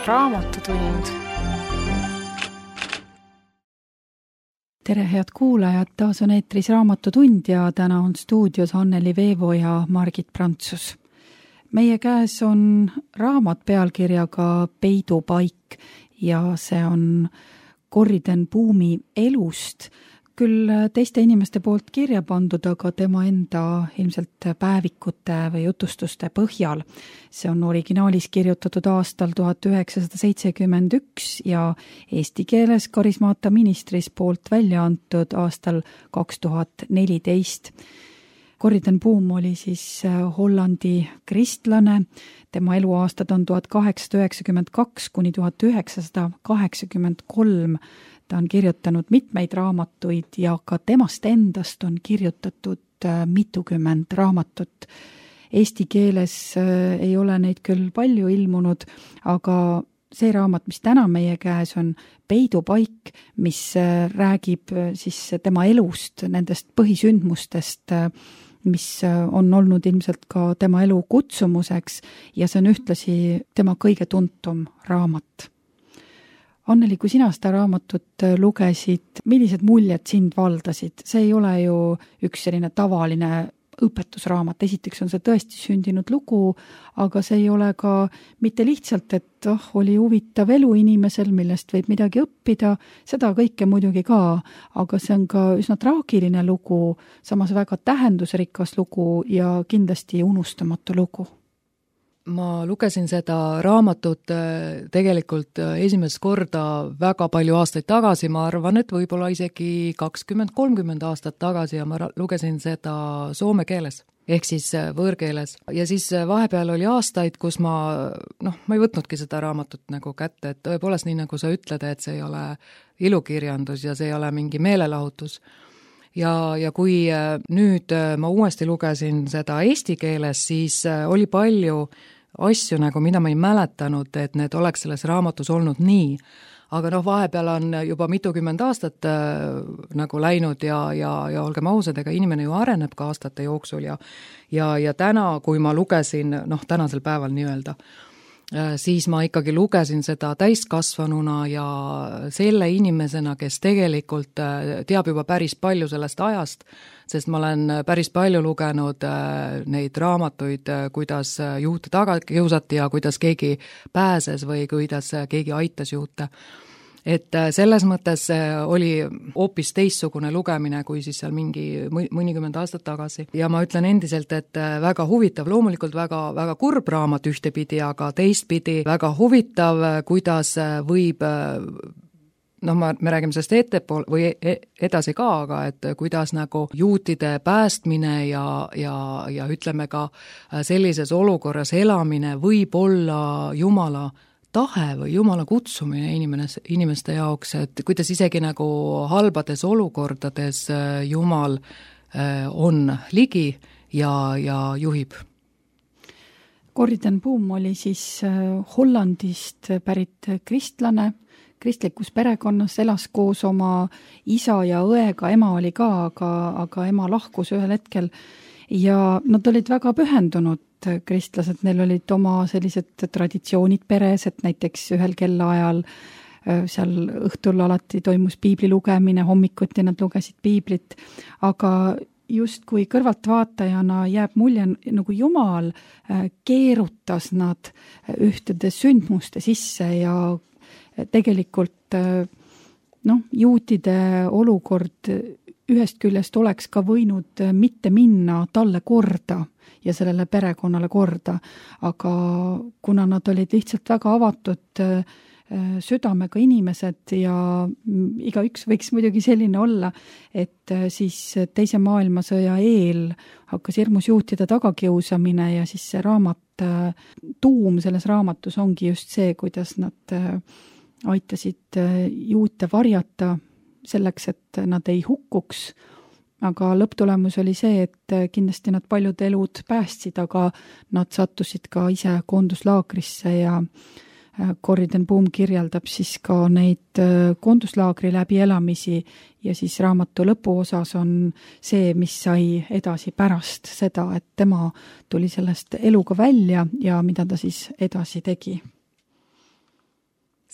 Raamatutund. Tere, head kuulajad, taas on eetris Raamatutund ja täna on stuudios Anneli Veevo ja Margit Prantsus. Meie käes on raamat pealkirjaga Peidupaik ja see on Corrie ten Boumi elust, küll teiste inimeste poolt kirja pandud, aga tema enda ilmselt päevikute või jutustuste põhjal. See on originaalis kirjutatud aastal 1971 ja eesti keeles Karismaata ministris poolt välja antud aastal 2014. Corrie ten Boom oli siis Hollandi kristlane, tema eluaastad on 1892 kuni 1983. Ta on kirjutanud mitmeid raamatuid ja ka temast endast on kirjutatud mitukümmend raamatut. Eesti keeles ei ole neid küll palju ilmunud, aga see raamat, mis täna meie käes on Peidupaik, mis räägib siis tema elust, nendest põhisündmustest, mis on olnud ilmselt ka tema elu kutsumuseks ja see on ühtlasi tema kõige tuntum raamat. Anneli, kui sina seda raamatut lugesid, millised muljed sind valdasid? See ei ole ju üks selline tavaline õpetusraamat. Esiteks on see tõesti sündinud lugu, aga see ei ole ka mitte lihtsalt, et oli huvitav elu inimesel, millest võib midagi õppida, seda kõike muidugi ka, aga see on ka üsna traagiline lugu, samas väga tähendusrikas lugu ja kindlasti unustamatu lugu. Ma lugesin seda raamatut tegelikult esimest korda väga palju aastaid tagasi, ma arvan, et võib-olla isegi 20-30 aastat tagasi ja ma lugesin seda soome keeles, ehk siis võõrkeeles. Ja siis vahepeal oli aastaid, kus ma ei võtnudki seda raamatut nagu kätte, et tõepoolest nii nagu sa ütled, et see ei ole ilukirjandus ja see ei ole mingi meelelahutus. Ja kui nüüd ma uuesti lugesin seda eesti keeles, siis oli palju asju, nagu mida ma ei mäletanud, et need oleks selles raamatus olnud nii. Aga vahepeal on juba mitukümmend aastat nagu läinud ja olgem ausad, ega inimene ju areneb ka aastate jooksul ja täna, kui ma lugesin, tänasel päeval nii-öelda, siis ma ikkagi lugesin seda täiskasvanuna ja selle inimesena, kes tegelikult teab juba päris palju sellest ajast, sest ma olen päris palju lugenud neid raamatuid, kuidas juute taga kiusati ja kuidas keegi pääses või kuidas keegi aitas juute. Et selles mõttes oli hoopis teistsugune lugemine kui siis seal mõnikümmend aastat tagasi. Ja ma ütlen endiselt, et väga huvitav, loomulikult väga kurb raamat ühtepidi, aga teistpidi väga huvitav, kuidas võib, me räägime sellest ettepool või edasi ka, aga et kuidas nagu juutide päästmine ja ütleme ka sellises olukorras elamine võib olla Jumala tahe või Jumala kutsumine inimeste jaoks, et kuidas isegi nagu halbades olukordades Jumal on ligi ja juhib. Corrie ten Boom oli siis Hollandist pärit kristlane, kristlikus perekonnas, elas koos oma isa ja õega, ema oli ka, aga ema lahkus ühel hetkel ja nad olid väga pühendunud kristlased, neil olid oma sellised traditsioonid peres, et näiteks ühel kellaajal seal õhtul alati toimus piibli lugemine, hommikuti nad lugesid piiblit, aga justkui kõrvaltvaatajana jääb mulje, nagu Jumal keerutas nad ühtede sündmuste sisse ja tegelikult juutide olukord ühest küljest oleks ka võinud mitte minna talle korda ja sellele perekonnale korda, aga kuna nad olid lihtsalt väga avatud südamega inimesed ja igaüks võiks muidugi selline olla, et siis teise maailmasõja eel hakkas hirmus juutide tagakiusamine ja siis see raamat, tuum selles raamatus ongi just see, kuidas nad aitasid juute varjata selleks, et nad ei hukkuks, aga lõpptulemus oli see, et kindlasti nad paljud elud päästsid, aga nad sattusid ka ise koonduslaagrisse ja Corrie ten Boom kirjeldab siis ka neid koonduslaagri läbielamisi ja siis raamatu lõpuosas on see, mis sai edasi pärast seda, et tema tuli sellest eluga välja ja mida ta siis edasi tegi.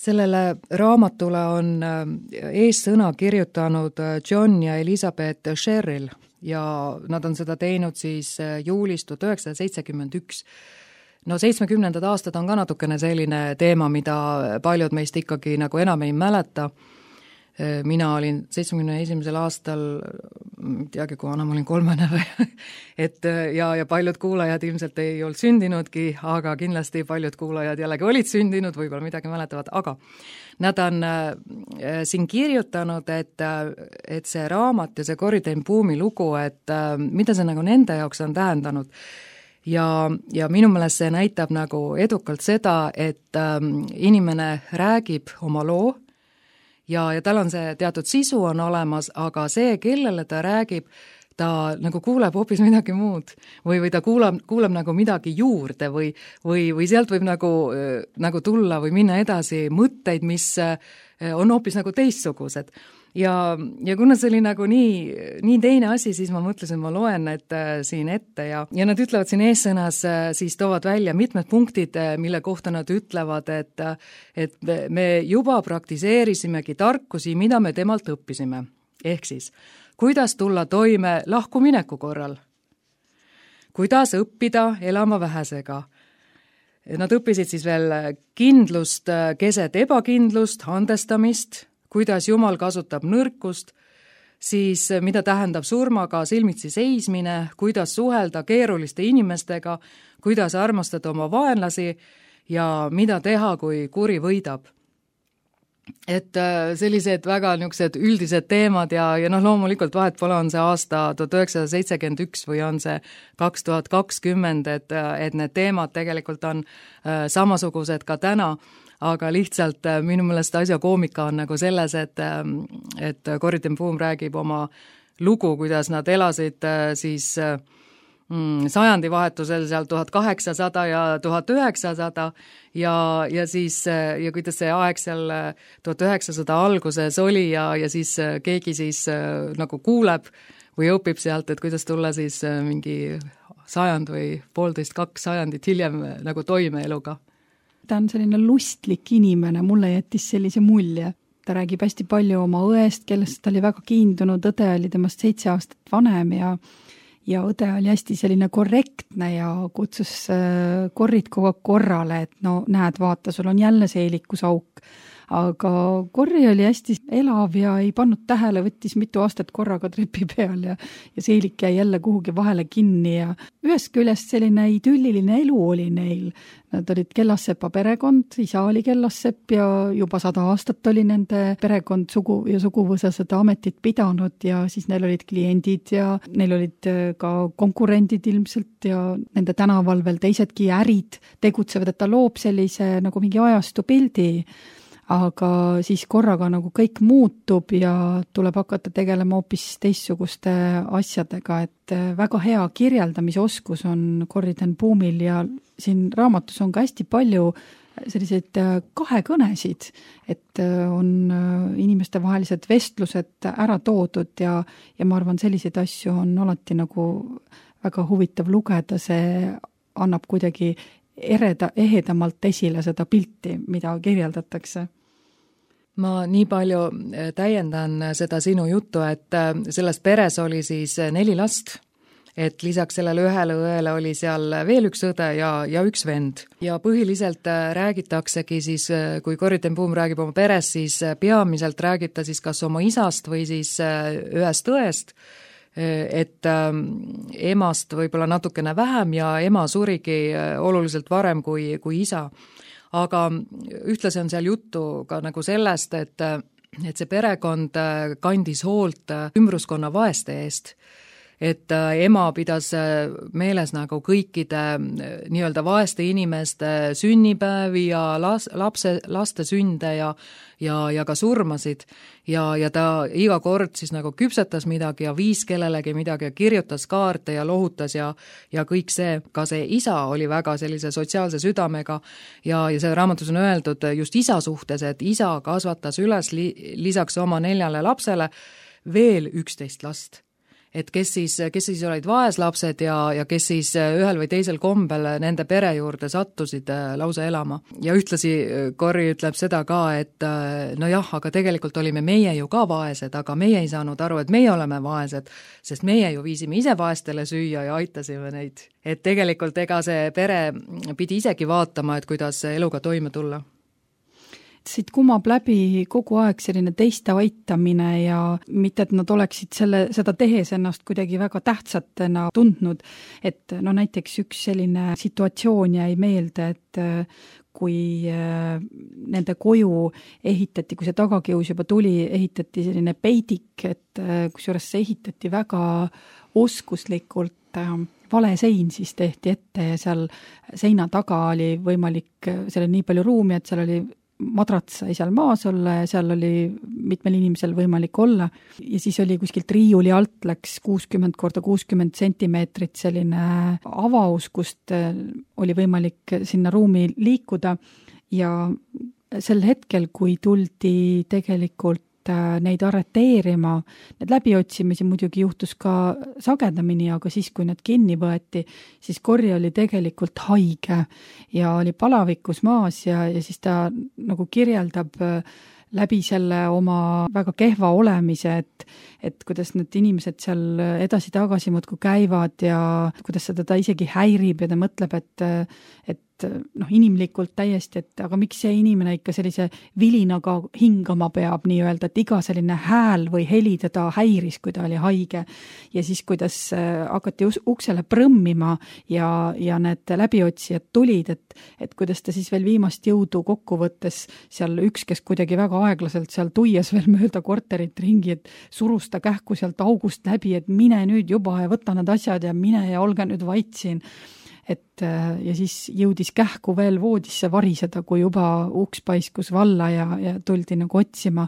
sellele raamatule on eessõna kirjutanud John ja Elizabeth Sherrill ja nad on seda teinud siis juulis 1971. No 70. aastad on ka natukene selline teema, mida paljud meist ikkagi nagu enam ei mäleta. Mina olin 71. aastal, teagi, kui vana ma olin, 3 või, ja paljud kuulajad ilmselt ei olnud sündinudki, aga kindlasti paljud kuulajad jällegi olid sündinud, võib-olla midagi mäletavad, aga nad on siin kirjutanud, et see raamat ja see Corrie ten Boomi lugu, et mida see nagu nende jaoks on tähendanud. Ja minu meelest see näitab nagu edukalt seda, et inimene räägib oma loo, ja tal on see teatud sisu on olemas, aga see, kellele ta räägib, ta nagu kuuleb hoopis midagi muud või ta kuuleb nagu midagi juurde või sealt võib nagu tulla või minna edasi mõtteid, mis on hoopis nagu teistsugused. Ja kuna see oli nagu nii teine asi, siis ma mõtlesin, ma loen need siin ette ja nad ütlevad siin eessõnas, siis toovad välja mitmed punktid, mille kohta nad ütlevad, et me juba praktiseerisimegi tarkusi, mida me temalt õppisime. Ehk siis, kuidas tulla toime lahkumineku korral? Kuidas õppida elama vähesega? Nad õppisid siis veel kindlust keset ebakindlust, andestamist, kuidas Jumal kasutab nõrkust, siis mida tähendab surmaga silmitsi seismine, kuidas suhelda keeruliste inimestega, kuidas armastada oma vaenlasi ja mida teha, kui kuri võidab. Et sellised väga niisugused üldised teemad ja loomulikult vahet pole, on see aasta 1971 või on see 2020, et need teemad tegelikult on samasugused ka täna, aga lihtsalt minu meelest asja koomika on nagu selles, et Corrie ten Boom räägib oma lugu, kuidas nad elasid siis sajandivahetusel seal 1800 ja 1900 ja siis ja kuidas see aeg seal 1900 alguses oli ja siis keegi siis nagu kuuleb või õpib sealt, et kuidas tulla siis mingi 100 või 1,5–2 sajandit hiljem nagu toime eluga. Ta on selline lustlik inimene, mulle jättis sellise mulje. Ta räägib hästi palju oma õest, kellest ta oli väga kiindunud, õde oli temast 7 aastat vanem ja õde oli hästi selline korrektne ja kutsus Corrit kogu aeg korrale, et no näed, vaata, sul on jälle seelikusauk. Aga Corrie oli hästi elav ja ei pannud tähele, võttis mitu aastat korraga trepi peal ja seelik jäi jälle kuhugi vahele kinni ja ühest küljest selline idülliline elu oli neil. Nad olid Kellassepa perekond, isa oli Kellassepp ja juba 100 aastat oli nende perekond ja suguvõsa seda ametit pidanud ja siis neil olid kliendid ja neil olid ka konkurendid ilmselt ja nende tänaval veel teisedki ärid tegutsevad, et ta loob sellise nagu mingi ajastu pildi. Aga siis korraga nagu kõik muutub ja tuleb hakata tegelema hoopis teistsuguste asjadega, et väga hea kirjeldamisoskus on Corrie ten Boomil ja siin raamatus on ka hästi palju selliseid kahekõnesid, et on inimestevahelised vestlused ära toodud ja ma arvan, selliseid asju on alati nagu väga huvitav lugeda, see annab kuidagi ehedamalt esile seda pilti, mida kirjeldatakse. Ma nii palju täiendan seda sinu juttu, et selles peres oli siis 4 last, et lisaks sellele ühele õele oli seal veel üks õde ja üks vend. Ja põhiliselt räägitaksegi siis, kui Corrie ten Boom räägib oma peres, siis peamiselt räägib ta siis kas oma isast või siis ühest õest, et emast võib-olla natukene vähem ja ema surigi oluliselt varem kui isa. Aga ühtlasi on seal juttu ka nagu sellest, et see perekond kandis hoolt ümbruskonna vaeste eest. Et ema pidas meeles nagu kõikide nii-öelda vaeste inimeste sünnipäevi ja laste sünde ja ka surmasid ja ta iga kord siis nagu küpsetas midagi ja viis kellelegi midagi ja kirjutas kaarte ja lohutas ja kõik see, ka see isa oli väga sellise sotsiaalse südamega ja see raamatus on öeldud just isa suhtes, et isa kasvatas üles lisaks oma 4 lapsele veel 11 last. et kes siis olid vaeslapsed ja kes siis ühel või teisel kombel nende pere juurde sattusid lausa elama. Ja ühtlasi Corrie ütleb seda ka, et nojah, aga tegelikult olime meie ju ka vaesed, aga meie ei saanud aru, et meie oleme vaesed, sest meie ju viisime ise vaestele süüa ja aitasime neid. Et tegelikult ega see pere pidi isegi vaatama, et kuidas eluga toime tulla. Siit kumab läbi kogu aeg selline teiste aitamine ja mitte, et nad oleksid seda tehes ennast kuidagi väga tähtsatena tundnud, et no näiteks üks selline situatsioon jäi meelde, et kui nende koju ehitati, kui see tagakius juba tuli, ehitati selline peidik, et kusjuures see ehitati väga oskuslikult, vale sein siis tehti ette ja seal seina taga oli võimalik, seal oli nii palju ruumi, et seal oli madrats sai seal maas olla ja seal oli mitmel inimesel võimalik olla ja siis oli kuskilt riiuli alt läks 60 korda 60 sentimeetrit selline avaus, kust oli võimalik sinna ruumi liikuda ja sel hetkel, kui tuldi tegelikult neid arreteerima, need läbiotsimisi muidugi juhtus ka sagedamini, aga siis, kui need kinni võeti, siis Corrie oli tegelikult haige ja oli palavikus maas ja siis ta nagu kirjeldab läbi selle oma väga kehva olemise, et kuidas need inimesed seal edasi-tagasi muudkui käivad ja kuidas seda ta isegi häirib ja ta mõtleb, et inimlikult täiesti, et aga miks see inimene ikka sellise vilinaga hingama peab nii-öelda, et iga selline hääl või heli teda häiris, kui ta oli haige. Ja siis, kuidas hakati uksele prõmmima ja need läbiotsijad tulid, et kuidas ta siis veel viimast jõudu kokkuvõttes seal üks, kes kuidagi väga aeglaselt seal tuies veel mööda korterit ringi, et surus ta kähku sealt august läbi, et mine nüüd juba ja võta need asjad ja mine ja olge nüüd vait siin. Ja siis jõudis kähku veel voodisse variseda, kui juba uks paiskus valla ja tuldi nagu otsima.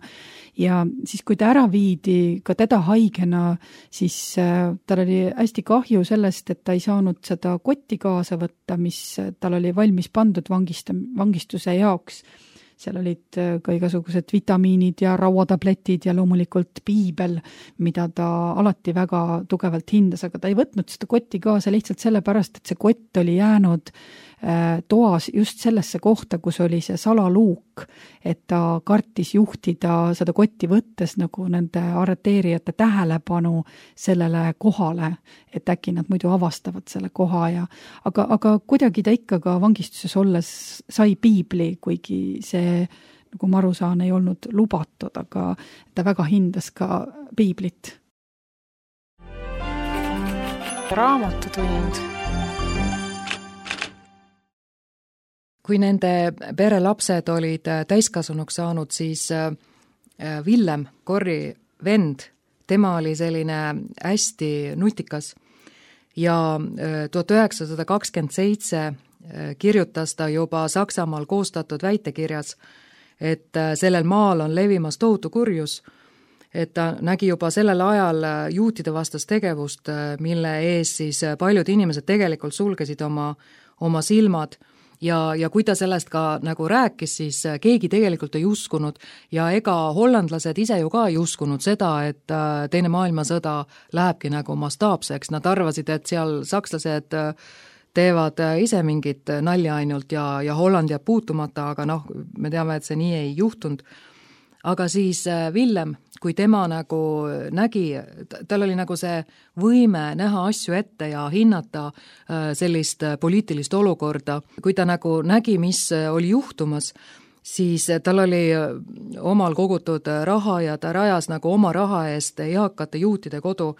Ja siis, kui ta ära viidi ka teda haigena, siis tal oli hästi kahju sellest, et ta ei saanud seda kotti kaasa võtta, mis tal oli valmis pandud vangistuse jaoks. Seal olid ka igasugused vitamiinid ja rauatabletid ja loomulikult piibel, mida ta alati väga tugevalt hindas, aga ta ei võtnud seda kotti kaasa lihtsalt sellepärast, et see kott oli jäänud toas just sellesse kohta, kus oli see salaluuk, et ta kartis juhtida seda kotti võttes nagu nende arreteerijate tähelepanu sellele kohale, et äkki nad muidu avastavad selle koha aga kuidagi ta ikka ka vangistuses olles sai piibli, kuigi see, nagu ma aru saan, ei olnud lubatud, aga ta väga hindas ka piiblit. Raamatutund. Kui nende pere lapsed olid täiskasunuks saanud, siis Villem, Corrie vend, tema oli selline hästi nutikas ja 1927 kirjutas ta juba Saksamaal koostatud väitekirjas, et sellel maal on levimas tohutu kurjus, et ta nägi juba sellel ajal juutide vastast tegevust, mille ees siis paljud inimesed tegelikult sulgesid oma silmad. Ja kui ta sellest ka nagu rääkis, siis keegi tegelikult ei uskunud ja ega hollandlased ise ju ka ei uskunud seda, et teine maailmasõda lähebki nagu mastaapseks. Nad arvasid, et seal sakslased teevad ise mingit nalja ainult ja Holland jääb puutumata, aga me teame, et see nii ei juhtunud. Aga siis Villem, kui tema nagu nägi, tal oli nagu see võime näha asju ette ja hinnata sellist poliitilist olukorda, kui ta nagu nägi, mis oli juhtumas, siis tal oli omal kogutud raha ja ta rajas nagu oma raha eest eakate juutide kodu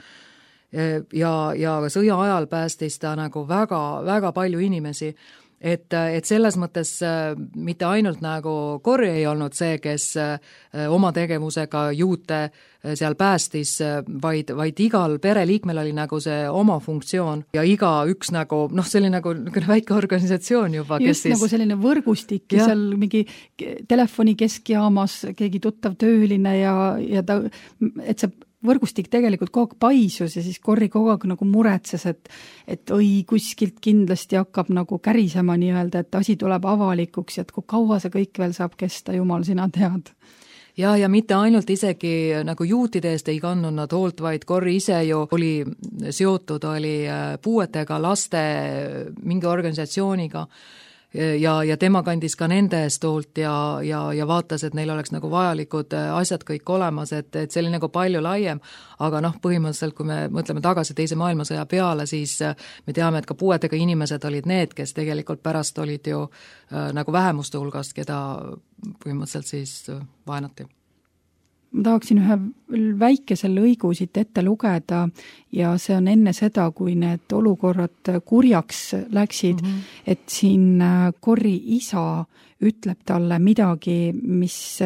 ja sõja ajal päästis ta nagu väga, väga palju inimesi. Et selles mõttes mitte ainult nagu Corrie ei olnud see, kes oma tegevusega juute seal päästis, vaid igal pereliikmel oli nagu see oma funktsioon ja iga üks nagu, see oli nagu väike organisatsioon juba. Just kes nagu selline võrgustik ja seal mingi telefoni keskjaamas keegi tuttav tööline ja ta, et see võrgustik tegelikult kogu aeg paisus ja siis Corrie kogu aeg nagu muretses, et kuskilt kindlasti hakkab nagu kärisema nii-öelda, et asi tuleb avalikuks ja et kui kaua see kõik veel saab kesta, jumal, sina tead. ja mitte ainult isegi nagu juutide eest ei kandnud nad hoolt, vaid Corrie ise ju oli puuetega laste mingi organisatsiooniga ja tema kandis ka nende eest hoolt ja vaatas, et neil oleks nagu vajalikud asjad kõik olemas, et see oli nagu palju laiem, aga põhimõtteliselt, kui me mõtleme tagasi Teise maailmasõja peale, siis me teame, et ka puuetega inimesed olid need, kes tegelikult pärast olid ju nagu vähemuste hulgast, keda põhimõtteliselt siis vaenati. Ma tahaksin ühe väikese lõigu siit ette lugeda ja see on enne seda, kui need olukorrad kurjaks läksid, et siin Corrie isa ütleb talle midagi, mis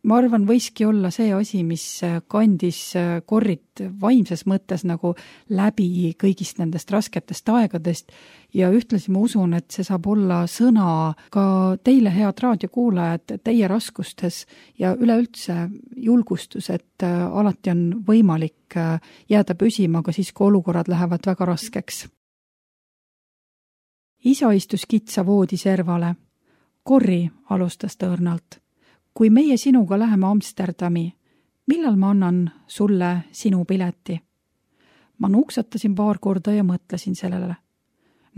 ma arvan, võiski olla see asi, mis kandis Corriet vaimses mõttes nagu läbi kõigist nendest rasketest aegadest ja ühtlasi ma usun, et see saab olla sõna ka teile, head raadiokuulajad, teie raskustes ja üleüldse julgustus, et alati on võimalik jääda püsima ka siis, kui olukorrad lähevad väga raskeks. Isa istus kitsa voodiservale. Corrie alustas tõõrnalt. Kui meie sinuga läheme Amsterdami, millal ma annan sulle sinu pileti? Ma nuksatasin paar korda ja mõtlesin sellele.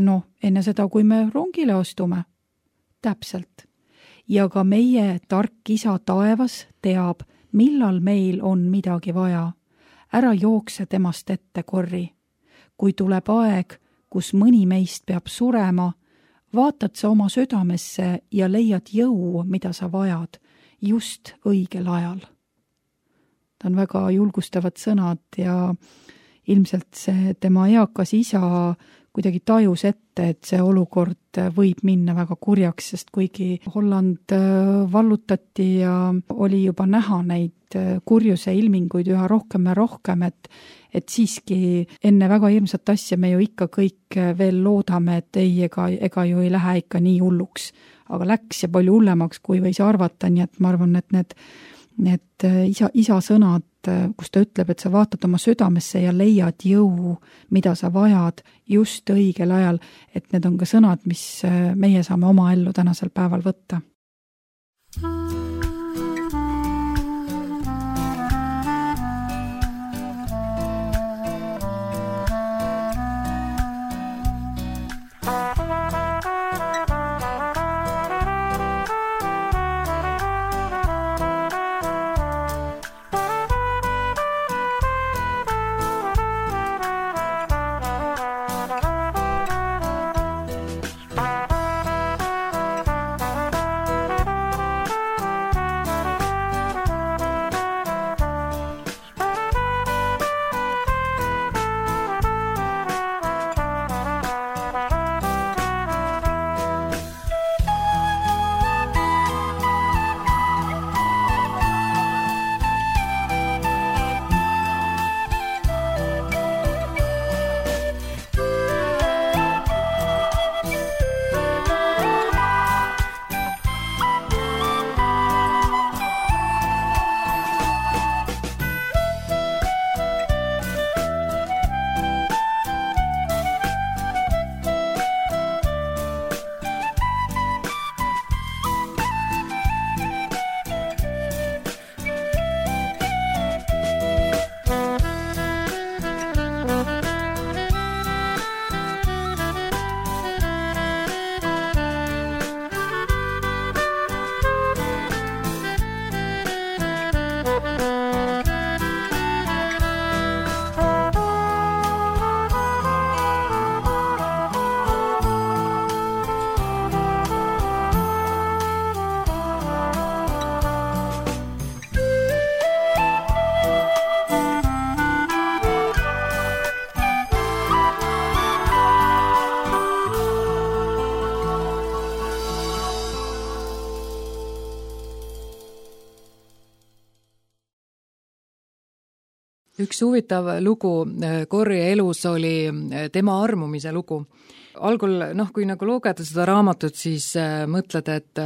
No, enne seda, kui me rongile astume. Täpselt. Ja ka meie tark isa taevas teab, millal meil on midagi vaja. Ära jookse temast ette, Corrie. Kui tuleb aeg, kus mõni meist peab surema, vaatad sa oma südamesse ja leiad jõu, mida sa vajad. Just õigel ajal. Ta on väga julgustavad sõnad ja ilmselt see tema eakas isa kuidagi tajus ette, et see olukord võib minna väga kurjaks, sest kuigi Holland vallutati ja oli juba näha neid kurjuse ilminguid üha rohkem ja rohkem, et siiski enne väga hirmsat asja me ju ikka kõik veel loodame, et ei, ega ju ei lähe ikka nii hulluks. Aga läks ja palju hullemaks, kui võis arvata, nii et ma arvan, et need isa sõnad, kus ta ütleb, et sa vaatad oma südamesse ja leiad jõu, mida sa vajad just õigel ajal, et need on ka sõnad, mis meie saame oma ellu tänasel päeval võtta. Üks huvitav lugu Corrie elus oli tema armumise lugu. Algul, kui nagu lugeda seda raamatut, siis mõtled, et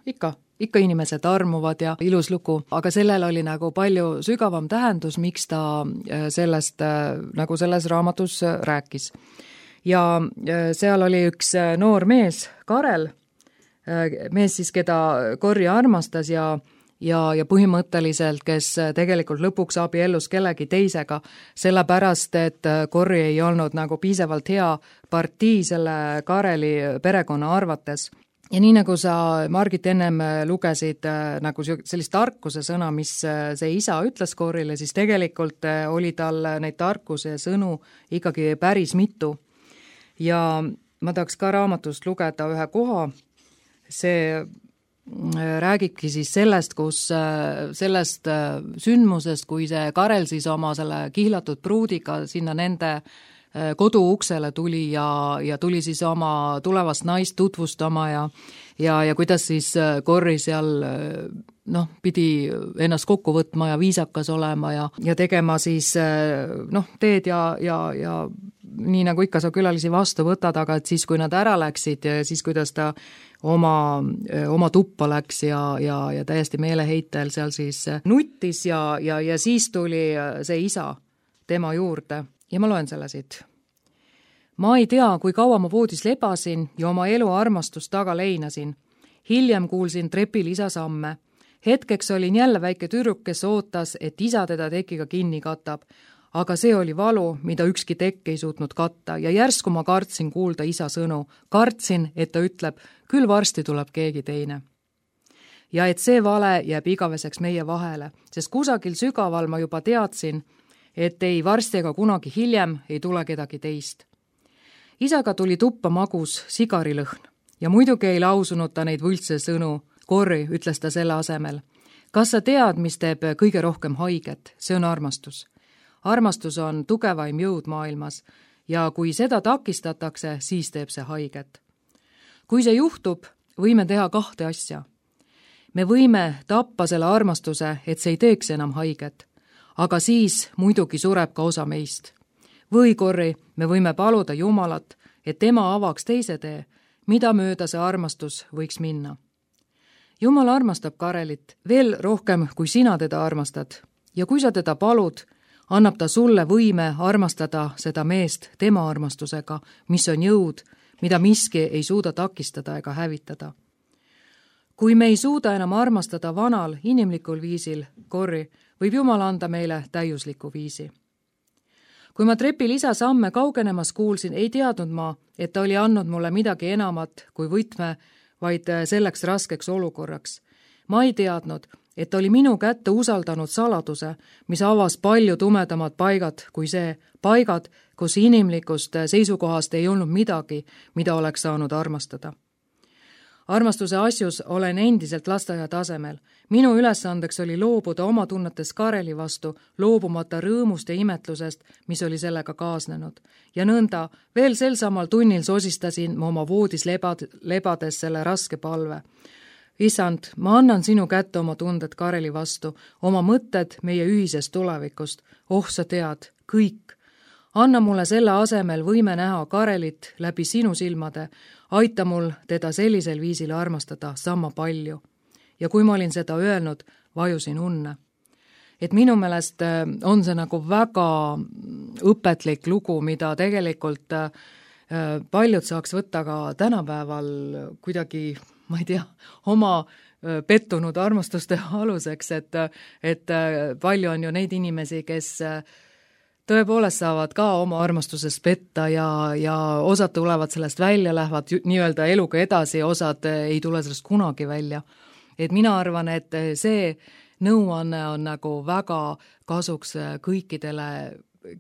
ikka inimesed armuvad ja ilus lugu, aga sellel oli nagu palju sügavam tähendus, miks ta sellest nagu selles raamatus rääkis. Ja seal oli üks noor mees, Karel, mees siis, keda Corrie armastas ja ja põhimõtteliselt, kes tegelikult lõpuks abiellus kellegi teisega, sellepärast, et Corrie ei olnud nagu piisavalt hea partii selle Kareli perekonna arvates. Ja nii nagu sa, Margit, ennem lugesid nagu sellist tarkuse sõna, mis see isa ütles Corriele, siis tegelikult oli tal neid tarkuse sõnu ikkagi päris mitu. Ja ma tahaks ka raamatust lugeda ühe koha, see räägibki siis sellest, sellest sündmusest, kui see Karel siis oma selle kihlatud pruudiga sinna nende kodu uksele tuli ja tuli siis oma tulevast naist tutvustama ja kuidas siis Corrie seal pidi ennast kokku võtma ja viisakas olema ja tegema siis teed ja nii nagu ikka sa külalisi vastu võtad, aga et siis, kui nad ära läksid, siis kuidas ta oma tuppa läks ja täiesti meeleheitel seal siis nuttis ja siis tuli see isa tema juurde. Ja ma loen selle siit. Ma ei tea, kui kaua ma voodis lebasin ja oma elu armastust taga leinasin. Hiljem kuulsin trepil isa samme. Hetkeks olin jälle väike tüdruk, kes ootas, et isa teda tekiga kinni katab. Aga see oli valu, mida ükski tekk ei suutnud katta ja järsku ma kartsin kuulda isa sõnu. Kartsin, et ta ütleb, küll varsti tuleb keegi teine. Ja et see vale jääb igaveseks meie vahele, sest kusagil sügaval ma juba teadsin, et ei varsti ega kunagi hiljem ei tule kedagi teist. Isaga tuli tuppa magus sigarilõhn ja muidugi ei lausunud ta neid võltse sõnu. Corrie, ütles ta selle asemel. Kas sa tead, mis teeb kõige rohkem haiget? See on armastus. Armastus on tugevaim jõud maailmas ja kui seda takistatakse, siis teeb see haiget. Kui see juhtub, võime teha 2 asja. Me võime tappa selle armastuse, et see ei teeks enam haiget. Aga siis muidugi sureb ka osa meist. Või Corrie, me võime paluda Jumalat, et tema avaks teise tee, mida mööda see armastus võiks minna. Jumal armastab Karelit veel rohkem, kui sina teda armastad. Ja kui sa teda palud, annab ta sulle võime armastada seda meest tema armastusega, mis on jõud, mida miski ei suuda takistada ega hävitada. Kui me ei suuda enam armastada vanal, inimlikul viisil, Corrie, võib Jumal anda meile täiusliku viisi. Kui ma trepil isa samme kaugenemas kuulsin, ei teadnud ma, et ta oli andnud mulle midagi enamat kui võtme, vaid selleks raskeks olukorraks. Ma ei teadnud, et ta oli minu kätte usaldanud saladuse, mis avas palju tumedamad paigad kui see, paigad, kus inimlikust seisukohast ei olnud midagi, mida oleks saanud armastada. Armastuse asjus olen endiselt lasteaia tasemel. Minu ülesandeks oli loobuda oma tunnetes Kareli vastu, loobumata rõõmust ja imetlusest, mis oli sellega kaasnenud. Ja nõnda, veel sel samal tunnil sosistasin ma oma voodis lebades selle raske palve. Isand, ma annan sinu kätte oma tunded Kareli vastu, oma mõtted meie ühisest tulevikust. Oh, sa tead, kõik. Anna mulle selle asemel võime näha Karelit läbi sinu silmade, aita mul teda sellisel viisil armastada sama palju. Ja kui ma olin seda öelnud, vajusin unne. Et minu meelest on see nagu väga õpetlik lugu, mida tegelikult paljud saaks võtta ka tänapäeval kuidagi, ma ei tea, oma pettunud armastuste aluseks, et palju on ju neid inimesi, kes tõepoolest saavad ka oma armastusest petta ja osad tulevad sellest välja, lähevad nii-öelda eluga edasi, osad ei tule sellest kunagi välja. Et mina arvan, et see nõuanne on nagu väga kasuks kõikidele,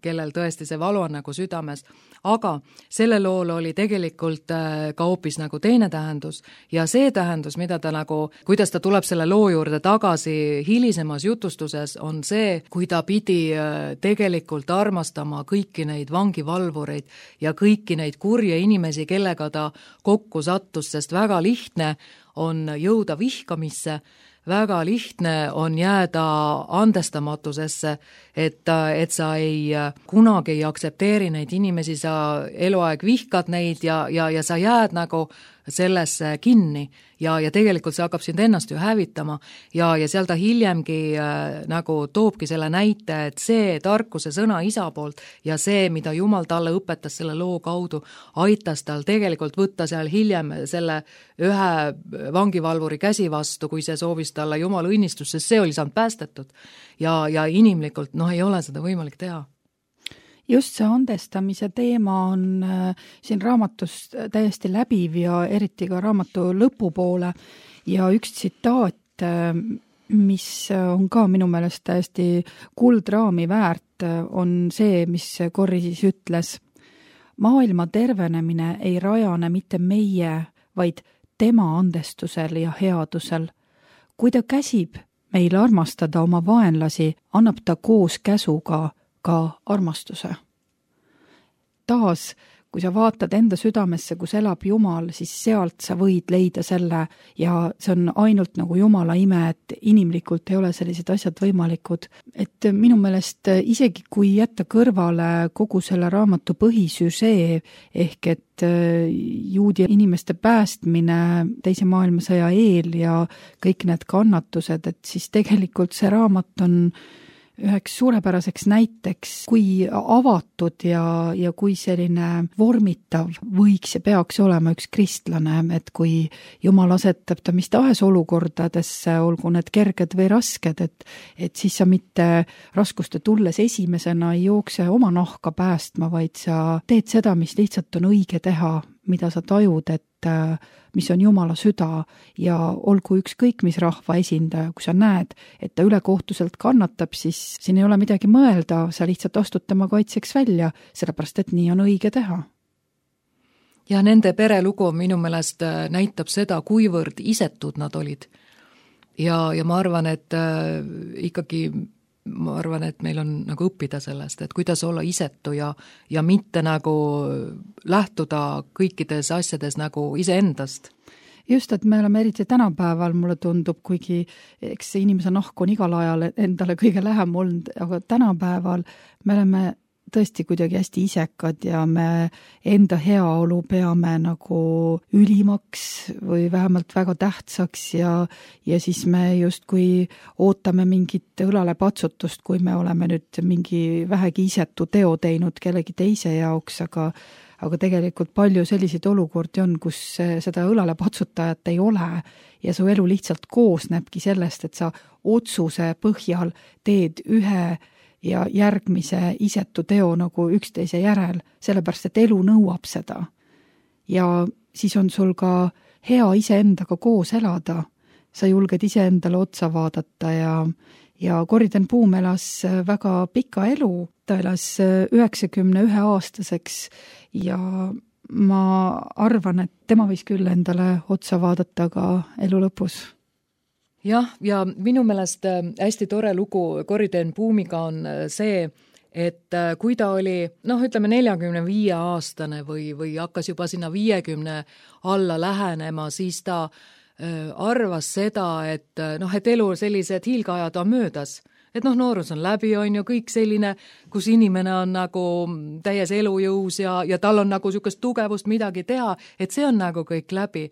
kellel tõesti see valu on nagu südames, aga selle lool oli tegelikult ka hoopis nagu teine tähendus ja see tähendus, mida ta nagu, kuidas ta tuleb selle loo juurde tagasi hilisemas jutustuses, on see, kui ta pidi tegelikult armastama kõiki neid vangivalvureid ja kõiki neid kurje inimesi, kellega ta kokku sattus, sest väga lihtne on jõuda vihkamisse, väga lihtne on jääda andestamatusesse, et sa kunagi ei aktsepteeri neid inimesi, sa eluaeg vihkad neid ja sa jääd nagu sellesse kinni ja tegelikult see hakkab sind ennast ju hävitama ja seal ta hiljemgi nagu toobki selle näite, et see tarkuse sõna isa poolt ja see, mida Jumal talle õpetas selle loo kaudu, aitas tal tegelikult võtta seal hiljem selle ühe vangivalvuri käsi vastu, kui see soovis talle Jumala õnnistust, sest see oli saanud päästetud ja inimlikult ei ole seda võimalik teha. Just see andestamise teema on siin raamatus täiesti läbiv ja eriti ka raamatu lõpupoole ja üks tsitaat, mis on ka minu meelest täiesti kuldraami väärt, on see, mis Corrie siis ütles. Maailma tervenemine ei rajane mitte meie, vaid tema andestusel ja headusel. Kui ta käsib meil armastada oma vaenlasi, annab ta koos käsuga ka armastuse. Taas, kui sa vaatad enda südamesse, kus elab Jumal, siis sealt sa võid leida selle ja see on ainult nagu Jumala ime, et inimlikult ei ole sellised asjad võimalikud. Et minu meelest isegi kui jätta kõrvale kogu selle raamatu põhisüžee ehk et juudi inimeste päästmine teise maailmasõja eel ja kõik need kannatused, et siis tegelikult see raamat on üheks suurepäraseks näiteks, kui avatud ja kui selline vormitav võiks ja peaks olema üks kristlane, et kui Jumal asetab ta mis tahes olukordadesse, olgu need kerged või rasked, et siis sa mitte raskuste tulles esimesena ei jookse oma nahka päästma, vaid sa teed seda, mis lihtsalt on õige teha, mida sa tajud, et mis on Jumala süda ja olgu ükskõik mis rahva esindaja, kui sa näed, et ta ülekohtuselt kannatab, siis siin ei ole midagi mõelda, sa lihtsalt astud tema kaitseks välja, sellepärast et nii on õige teha. Ja nende perelugu minu meelest näitab seda, kuivõrd isetud nad olid. Ja ma arvan, et et meil on nagu õppida sellest, et kuidas olla isetu ja mitte nagu lähtuda kõikides asjades nagu iseendast. Just, et me oleme eriti tänapäeval, mulle tundub, kuigi eks inimese nahk on igal ajal endale kõige lähem olnud, aga tänapäeval me oleme tõesti kuidagi hästi isekad ja me enda heaolu peame nagu ülimaks või vähemalt väga tähtsaks ja siis me justkui ootame mingit õlale patsutust, kui me oleme nüüd mingi vähegi isetu teo teinud kellegi teise jaoks, aga tegelikult palju selliseid olukordi on, kus seda õlale patsutajat ei ole ja su elu lihtsalt koosnebki sellest, et sa otsuse põhjal teed ühe ja järgmise isetu teo nagu üksteise järel, sellepärast et elu nõuab seda. Ja siis on sul ka hea iseendaga koos elada. Sa julged iseendale otsa vaadata ja Corrie ten Boom elas väga pika elu. Ta elas 91-aastaseks ja ma arvan, et tema võis küll endale otsa vaadata ka elu lõpus. Jah, ja minu meelest hästi tore lugu Corrie ten Boomiga on see, et kui ta oli, ütleme 45-aastane või hakkas juba sinna 50 alla lähenema, siis ta arvas seda, et elu sellised hiilgeajad on möödas. Et noorus on läbi, on ju kõik selline, kus inimene on nagu täies elujõus ja tal on nagu niisugust tugevust midagi teha, et see on nagu kõik läbi.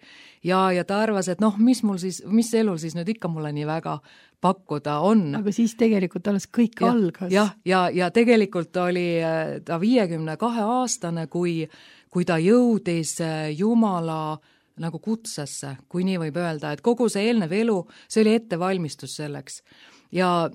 Ja ta arvas, et mis elul siis nüüd ikka mulle nii väga pakkuda on. Aga siis tegelikult alles kõik algas. Ja tegelikult oli ta 52-aastane, kui ta jõudis Jumala nagu kutsesse, kui nii võib öelda, et kogu see eelnev elu, see oli ettevalmistus selleks. Ja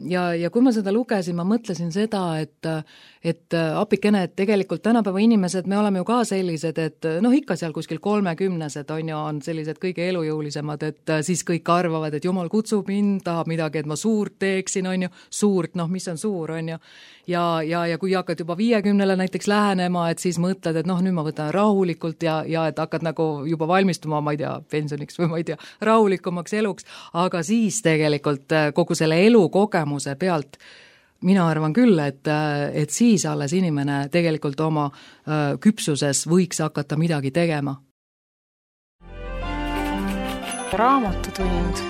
kui ma seda lugesin, ma mõtlesin seda, et apikene, et tegelikult tänapäeva inimesed, me oleme ju ka sellised, et ikka seal kuskil 30-sed on sellised kõige elujõulisemad, et siis kõik arvavad, et Jumal kutsub mind, tahab midagi, et ma suurt teeksin, on ju, suurt, mis on suur, on ju. Ja kui hakkad juba 50-le näiteks lähenema, et siis mõtled, et nüüd ma võtan rahulikult ja et hakkad nagu juba valmistuma, ma ei tea, pensioniks või ma ei tea, rahulikumaks eluks, aga siis tegelikult kogu selle elukogemuse pealt mina arvan küll, et siis alles inimene tegelikult oma küpsuses võiks hakata midagi tegema. Raamatutund.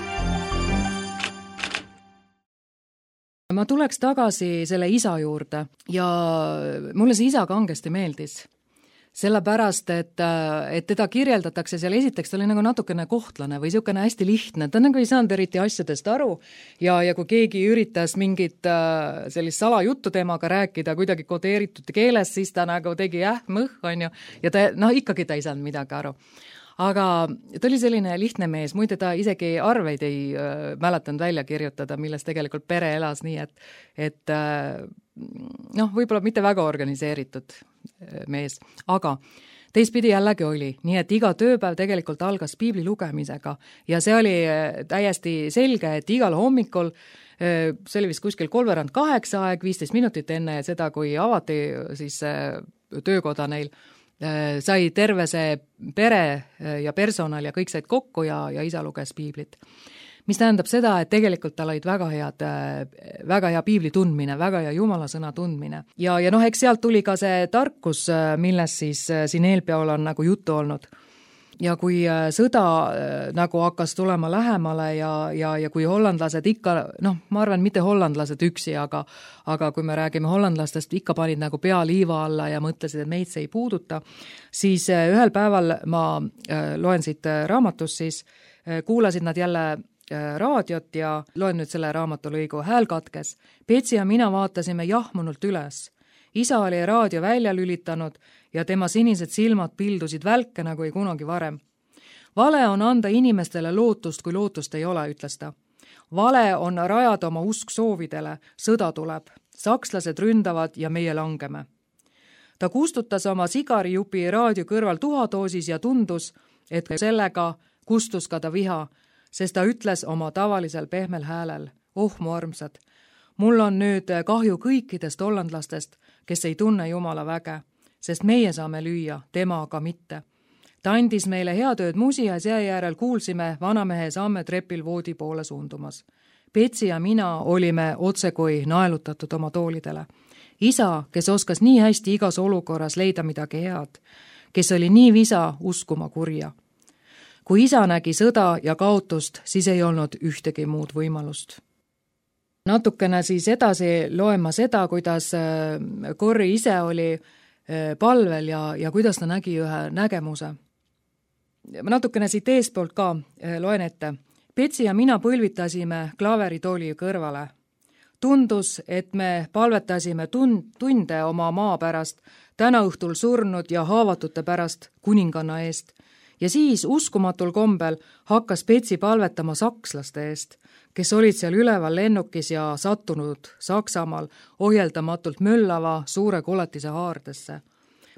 Ma tuleks tagasi selle isa juurde ja mulle see isa kangesti meeldis. sellepärast, et teda kirjeldatakse seal esiteks, ta oli nagu natukene kohtlane või niisugune hästi lihtne, ta nagu ei saanud eriti asjadest aru ja kui keegi üritas mingit sellist salajuttu temaga rääkida kuidagi kodeeritud keeles, siis ta nagu tegi mõh, on ju, ja ta, ikkagi ta ei saanud midagi aru. Aga ta oli selline lihtne mees, muide ta isegi arveid ei mäletanud välja kirjutada, milles tegelikult pere elas nii, et võib-olla mitte väga organiseeritud mees, aga teistpidi jällegi oli, nii et iga tööpäev tegelikult algas piibli lugemisega ja see oli täiesti selge, et igal hommikul, see oli vist kuskil 7:45 aeg, 15 minutit enne seda, kui avati siis töökoda neil, sai terve see pere ja personal ja kõik said kokku ja isa luges piiblit. Mis tähendab seda, et tegelikult tal olid väga hea piibli tundmine, väga hea jumala sõna tundmine. Ja eks sealt tuli ka see tarkus, millest siis siin eelpeol on nagu juttu olnud. Ja kui sõda nagu hakkas tulema lähemale ja kui hollandlased ikka, ma arvan, mitte hollandlased üksi, aga kui me räägime hollandlastest, ikka panid nagu pea liiva alla ja mõtlesid, et meid see ei puuduta, siis ühel päeval ma loen siit raamatust, siis kuulasid nad jälle raadiot ja loen nüüd selle raamatulõigu, hääl katkes. Petsi ja mina vaatasime jahmunult üles. Isa oli raadio välja lülitanud ja tema sinised silmad pildusid välke nagu ei kunagi varem. Vale on anda inimestele lootust, kui lootust ei ole, ütles ta. Vale on rajada oma usk soovidele, sõda tuleb. Sakslased ründavad ja meie langeme. Ta kustutas oma sigarijupi raadio kõrval tuhadoosis ja tundus, et sellega kustus ka ta viha, sest ta ütles oma tavalisel pehmel häälel, mu armsad, mul on nüüd kahju kõikidest hollandlastest, kes ei tunne Jumala väge, sest meie saame lüüa, tema aga mitte. Ta andis meile heatööd musias ja järel kuulsime vanamehe samme trepil voodi poole suundumas. Petsi ja mina olime otsekui naelutatud oma toolidele. Isa, kes oskas nii hästi igas olukorras leida midagi head, kes oli nii visa uskuma kurja. Kui isa nägi sõda ja kaotust, siis ei olnud ühtegi muud võimalust. Natukene siis edasi loen ma seda, kuidas Corrie ise oli palvel ja kuidas ta nägi ühe nägemuse. Natukene siit eespoolt ka loen ette. Petsi ja mina põlvitasime klaveritooli kõrvale. Tundus, et me palvetasime tunde oma maa pärast, täna õhtul surnud ja haavatute pärast kuninganna eest. Ja siis uskumatul kombel hakkas Petsi palvetama sakslaste eest, kes olid seal üleval lennukis ja sattunud Saksamaal ohjeldamatult möllava suure koletise haardesse.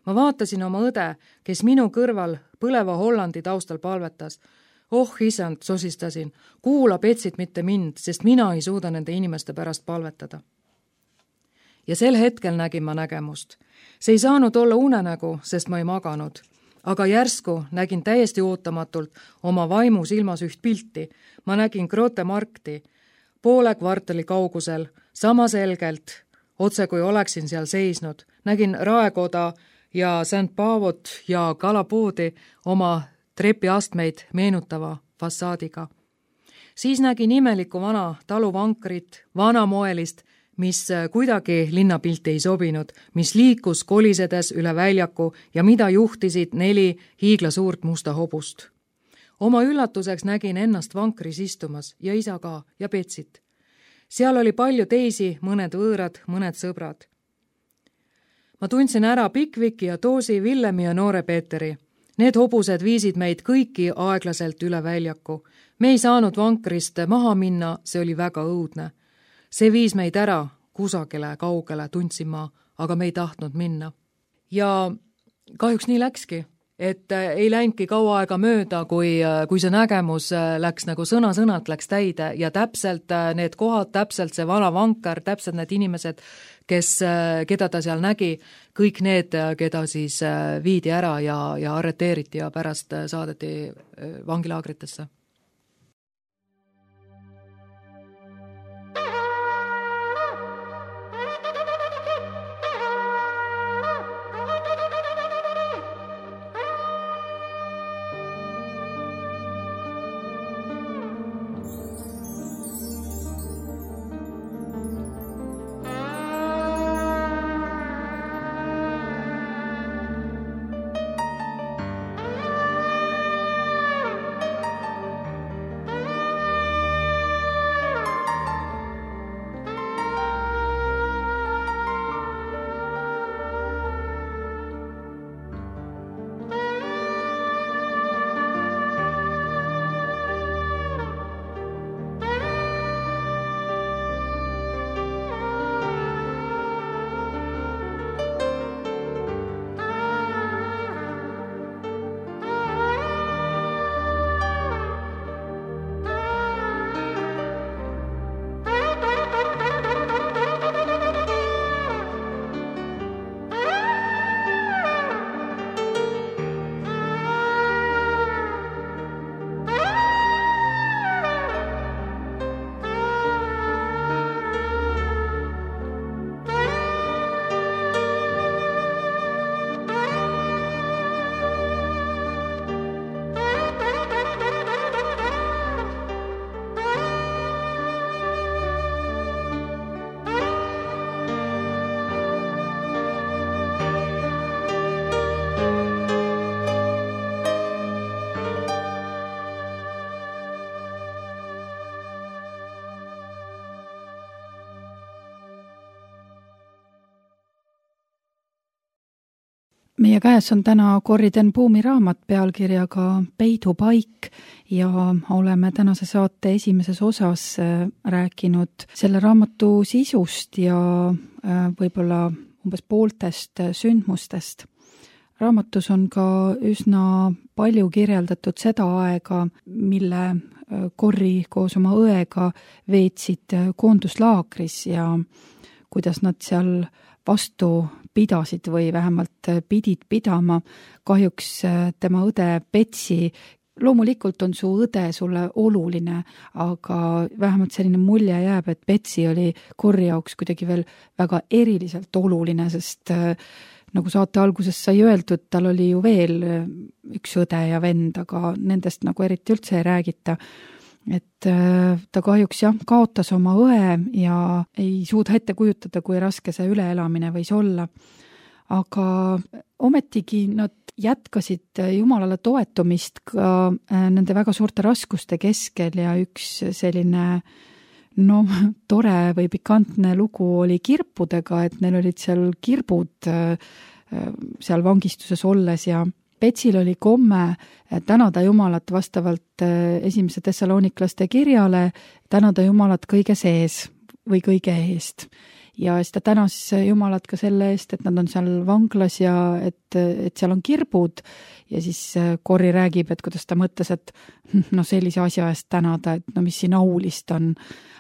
Ma vaatasin oma õde, kes minu kõrval põleva Hollandi taustal palvetas. Isand, sosistasin, kuula Petsit mitte mind, sest mina ei suuda nende inimeste pärast palvetada. Ja sel hetkel nägin ma nägemust. See ei saanud olla unenägu, sest ma ei maganud. Aga järsku nägin täiesti ootamatult oma vaimu silmas üht pilti. Ma nägin Grote Markti, poole kvartali kaugusel, sama selgelt, otse kui oleksin seal seisnud. Nägin raekoda ja St. Paavot ja kalapoodi oma trepiastmeid meenutava fassaadiga. Siis nägin imelikku vana taluvankrit, vanamoelist, mis kuidagi linnapilti ei sobinud, mis liikus kolisedes üle väljaku ja mida juhtisid 4 hiiglasuurt musta hobust. Oma üllatuseks nägin ennast vankris istumas ja isa ka ja Petsit. Seal oli palju teisi, mõned võõrad, mõned sõbrad. Ma tundsin ära Pickvicki ja Toosi, Villemi ja noore Peeteri. Need hobused viisid meid kõiki aeglaselt üle väljaku. Me ei saanud vankrist maha minna, see oli väga õudne. See viis meid ära kusagile kaugele, tundsin ma, aga me ei tahtnud minna. Ja kahjuks nii läkski, et ei läinudki kaua aega mööda, kui see nägemus läks nagu sõna-sõnalt läks täide ja täpselt need kohad, täpselt see vana vanker, täpselt need inimesed, keda ta seal nägi, kõik need, keda siis viidi ära ja arreteeriti ja pärast saadeti vangilaagritesse. meie käes on täna Corrie ten Boom'i raamat pealkirjaga Peidupaik ja oleme tänase saate esimeses osas rääkinud selle raamatu sisust ja võib-olla umbes pooltest sündmustest. Raamatus on ka üsna palju kirjeldatud seda aega, mille Corrie koos oma õega veetsid koonduslaagris ja kuidas nad seal vastu pidasid või vähemalt pidid pidama. Kahjuks tema õde Betsy, loomulikult on su õde sulle oluline, aga vähemalt selline mulje jääb, et Betsy oli Corrie jaoks kuidagi veel väga eriliselt oluline, sest nagu saate alguses sai öeldud, tal oli ju veel üks õde ja vend, aga nendest nagu eriti üldse ei räägita. Et ta kahjuks kaotas oma õe ja ei suuda ette kujutada, kui raske see üleelamine võis olla. Aga ometigi nad jätkasid Jumalale toetumist ka nende väga suurte raskuste keskel ja üks selline tore või pikantne lugu oli kirpudega, et neil olid seal kirbud seal vangistuses olles ja Betsil oli komme tänada Jumalat vastavalt esimese Thessaloniklaste kirjale, tänada Jumalat kõige sees või kõige eest. Ja siis ta tänas Jumalat ka selle eest, et nad on seal vanglas ja et seal on kirbud ja siis Corrie räägib, et kuidas ta mõtles, et sellise asja eest tänada, et mis siin aulist on.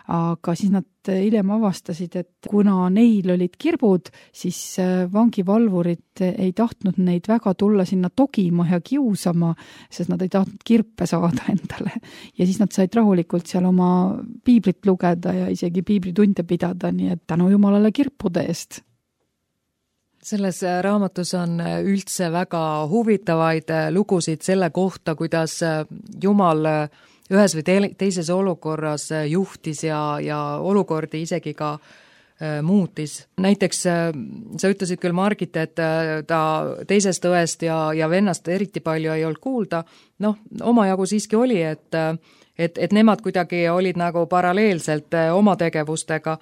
Aga siis nad hiljem avastasid, et kuna neil olid kirbud, siis vangivalvurid ei tahtnud neid väga tulla sinna togima ja kiusama, sest nad ei tahtnud kirpe saada endale. Ja siis nad said rahulikult seal oma piiblit lugeda ja isegi piiblitunde pidada, nii et tänu Jumalale kirpude eest. Selles raamatus on üldse väga huvitavaid lugusid selle kohta, kuidas Jumal ühes või teises olukorras juhtis ja olukordi isegi ka muutis. Näiteks sa ütlesid küll, Margit, et ta teisest õest ja vennast eriti palju ei olnud kuulda. Omajagu siiski oli, et nemad kuidagi olid nagu paralleelselt oma tegevustega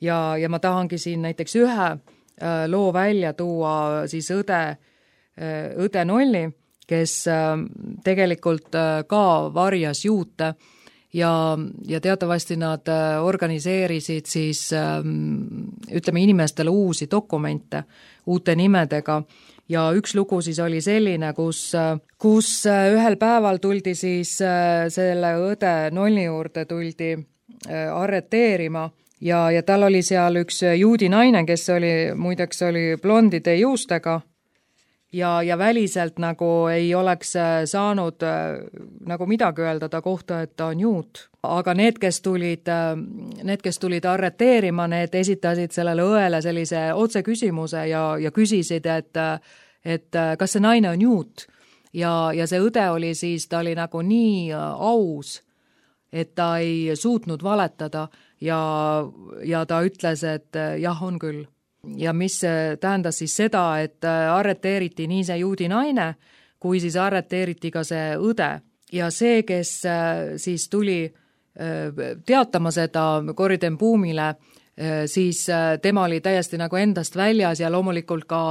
ja ma tahangi siin näiteks ühe loo välja tuua siis õde Nolli, kes tegelikult ka varjas juute ja teatavasti nad organiseerisid siis inimestele uusi dokumente uute nimedega ja üks lugu siis oli selline, kus ühel päeval tuldi siis selle õde Nolli juurde tuldi arreteerima ja tal oli seal üks juudi naine, kes muideks oli blondide juustega ja väliselt nagu ei oleks saanud nagu midagi öelda ta kohta, et ta on juut. Aga need, kes tulid arreteerima, need esitasid sellele õele sellise otseküsimuse ja küsisid, et kas see naine on juut. Ja see õde oli siis, ta oli nagu nii aus, et ta ei suutnud valetada ja ta ütles, et jah, on küll. Ja mis tähendas siis seda, et arreteeriti nii see juudi naine, kui siis arreteeriti ka see õde. Ja see, kes siis tuli teatama seda Corrie ten Boom'ile, siis tema oli täiesti nagu endast väljas ja loomulikult ka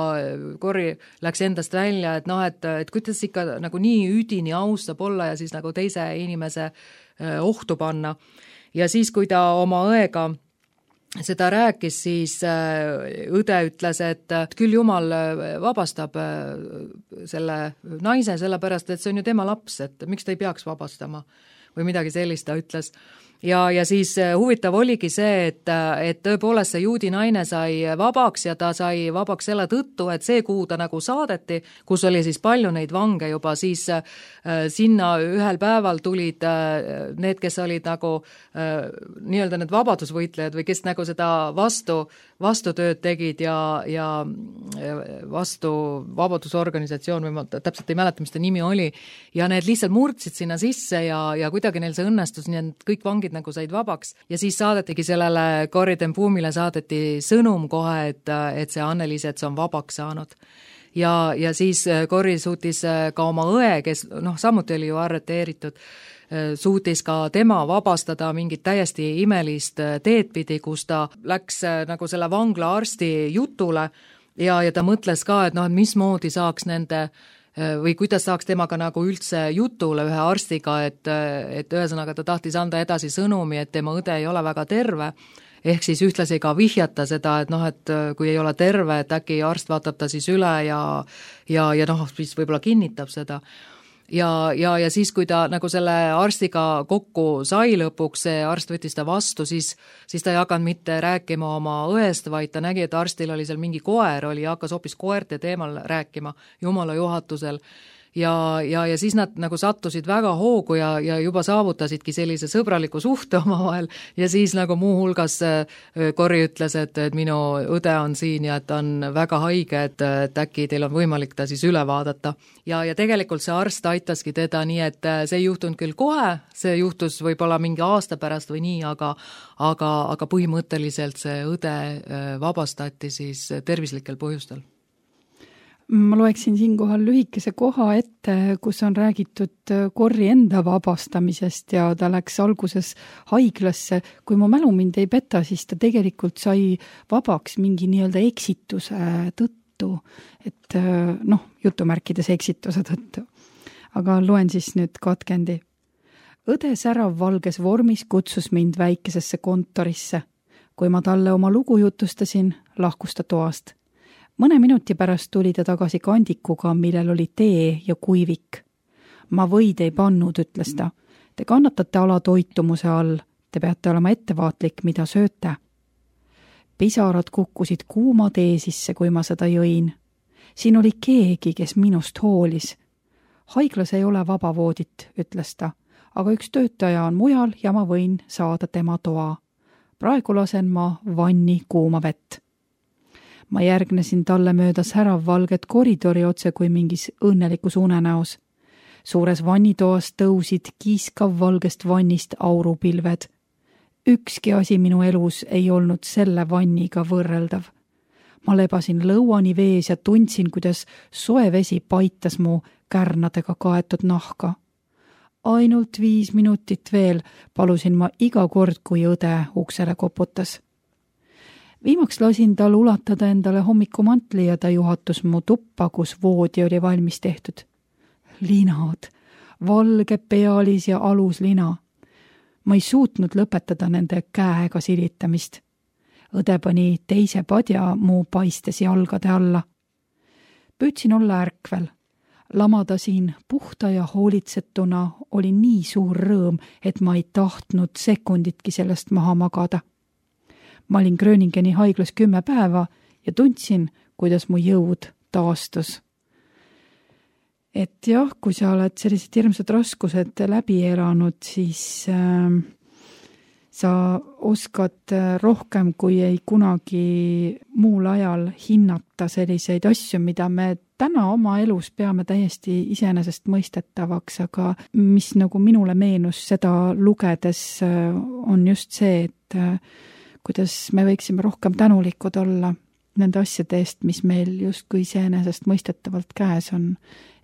Corrie läks endast välja, et kuidas ikka nagu nii üdini aus saab olla ja siis nagu teise inimese ohtu panna. Ja siis, kui ta oma õega seda rääkis, siis õde ütles, et küll Jumal vabastab selle naise, sellepärast, et see on ju tema laps, et miks ta ei peaks vabastama või midagi sellist ta ütles. Ja siis huvitav oligi see, et tõepoolest see juudi naine sai vabaks ja ta sai vabaks selle tõttu, et see, kuhu ta nagu saadeti, kus oli siis palju neid vange juba, siis sinna ühel päeval tulid need, kes olid nagu nii-öelda need vabadusvõitlejad või kes nagu seda vastutööd tegid ja vastu vabadusorganisatsioon või ma täpselt ei mäleta, mis ta nimi oli ja need lihtsalt murdsid sinna sisse ja kuidagi neil see õnnestus, nii et kõik vangid nagu said vabaks ja siis saadetigi sellele Corrie ten Boom'ile saadeti sõnum kohe, et see Anneliisets on vabaks saanud. Ja siis Corrie suutis ka oma õe, kes samuti oli ju arreteeritud, suutis ka tema vabastada mingit täiesti imelist teed pidi, kus ta läks nagu selle vangla arsti jutule ja ta mõtles ka, et et mismoodi saaks nende või kuidas saaks temaga nagu üldse jutule ühe arstiga, et ühesõnaga ta tahtis anda edasi sõnumi, et tema õde ei ole väga terve, ehk siis ühtlasi ka vihjata seda, et kui ei ole terve, et äkki arst vaatab ta siis üle ja siis võib-olla kinnitab seda. Ja siis, kui ta nagu selle arstiga kokku sai lõpuks, see arst võttis ta vastu, siis ta ei hakanud mitte rääkima oma õest, vaid ta nägi, et arstil oli seal mingi koer oli ja hakkas hoopis koerte teemal rääkima Jumala juhatusel. Ja siis nad nagu sattusid väga hoogu ja juba saavutasidki sellise sõbraliku suhte omavahel ja siis nagu muuhulgas Corrie ütles, et minu õde on siin ja et ta on väga haige, et äkki teil on võimalik ta siis üle vaadata. Ja tegelikult see arst aitaski teda nii, et see ei juhtunud küll kohe, see juhtus võib-olla mingi aasta pärast või nii, aga põhimõtteliselt see õde vabastati siis tervislikel põhjustel. Ma loeksin siinkohal lühikese koha ette, kus on räägitud Corrie enda vabastamisest ja ta läks alguses haiglasse. Kui mu mälu mind ei peta, siis ta tegelikult sai vabaks mingi nii-öelda eksituse tõttu, et jutumärkides eksituse tõttu. Aga loen siis nüüd katkendi. Õde särav valges vormis kutsus mind väikesesse kontorisse. Kui ma talle oma lugu jutustasin, lahkus ta toast. Mõne minuti pärast tuli ta tagasi kandikuga, millel oli tee ja kuivik. Ma võid ei pannud, ütles ta. Te kannatate alatoitumuse all. Te peate olema ettevaatlik, mida sööte. Pisarad kukkusid kuuma tee sisse, kui ma seda jõin. Siin oli keegi, kes minust hoolis. Haiglas ei ole vabavoodit, ütles ta, aga üks töötaja on mujal ja ma võin saada tema toa. Praegu lasen ma vanni kuuma vett. Ma järgnesin talle mööda särav valget koridori otse kui mingis õnnelikus unenäos. Suures vannitoas tõusid kiiskav valgest vannist aurupilved. Ükski asi minu elus ei olnud selle vanniga võrreldav. Ma lebasin lõuani vees ja tundsin, kuidas soe vesi paitas mu kärnadega kaetud nahka. Ainult 5 minutit veel palusin ma iga kord, kui õde uksele koputas. Viimaks lasin tal ulatada endale hommikumantli ja ta juhatus mu tuppa, kus voodi oli valmis tehtud. Linad, valge pealis ja aluslina. Ma ei suutnud lõpetada nende käega silitamist. Õde pani teise padja mu paistes jalgade alla. Püüdsin olla ärkvel. Lamada siin puhta ja hoolitsetuna oli nii suur rõõm, et ma ei tahtnud sekunditki sellest maha magada. Ma olin Gröningeni haiglas 10 päeva ja tundsin, kuidas mu jõud taastus. Et jah, kui sa oled sellised hirmsad raskused läbi elanud, siis sa oskad rohkem kui ei kunagi muul ajal hinnata selliseid asju, mida me täna oma elus peame täiesti iseenesest mõistetavaks, aga mis nagu minule meenus seda lugedes on just see, et kuidas me võiksime rohkem tänulikud olla nende asjade eest, mis meil justkui iseenesest mõistetavalt käes on.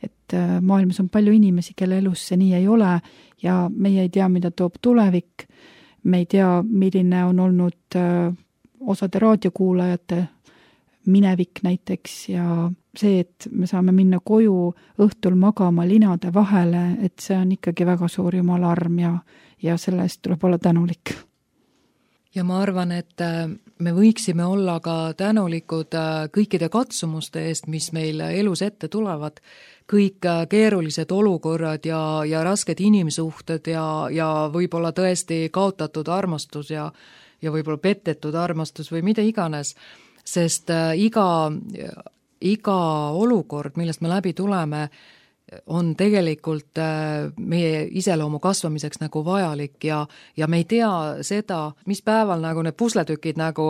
Et maailmas on palju inimesi, kelle elus see nii ei ole ja meie ei tea, mida toob tulevik. Me ei tea, milline on olnud osade raadiokuulajate minevik näiteks ja see, et me saame minna koju õhtul magama linade vahele, et see on ikkagi väga suur Jumala arm ja selle eest tuleb olla tänulik. Ja ma arvan, et me võiksime olla ka tänulikud kõikide katsumuste eest, mis meil elus ette tulevad. Kõik keerulised olukorrad ja rasked inimsuhted ja võib-olla tõesti kaotatud armastus ja võib-olla petetud armastus või mida iganes. Sest iga olukord, millest me läbi tuleme, on tegelikult meie iseloomu kasvamiseks nagu vajalik ja me ei tea seda, mis päeval nagu need pusletükid nagu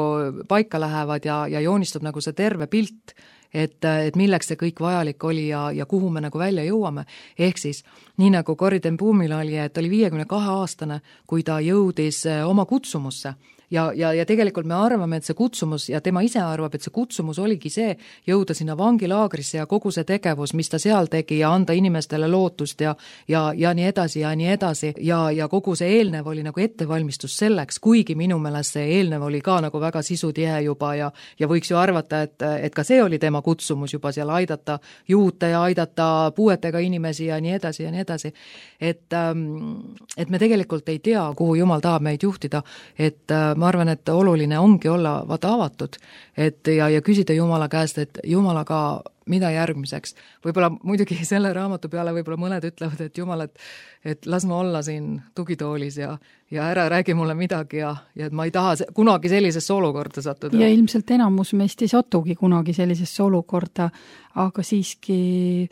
paika lähevad ja joonistub nagu see terve pilt, et milleks see kõik vajalik oli ja kuhu me nagu välja jõuame. Ehk siis, nii nagu Corrie ten Boomil oli, et oli 52-aastane, kui ta jõudis oma kutsumusse, ja tegelikult me arvame, et see kutsumus ja tema ise arvab, et see kutsumus oligi see, jõuda sinna vangilaagrisse ja kogu see tegevus, mis ta seal tegi ja anda inimestele lootust ja nii edasi ja nii edasi ja kogu see eelnev oli nagu ettevalmistus selleks, kuigi minu meelest see eelnev oli ka nagu väga sisutihe juba ja võiks ju arvata, et ka see oli tema kutsumus juba seal aidata juute ja aidata puuetega inimesi ja nii edasi ja nii edasi. Et me tegelikult ei tea, kuhu Jumal tahab meid juhtida, et ma arvan, et oluline ongi olla vaata avatud, et ja küsida Jumala käest, et Jumalaga mida järgmiseks. Võib-olla muidugi selle raamatu peale võib-olla mõned ütlevad, et Jumal, et las ma olla siin tugitoolis ja ära räägi mulle midagi ja et ma ei taha kunagi sellisesse olukorda sattuda. Ja ilmselt enamus meist ei satugi kunagi sellisesse olukorda, aga siiski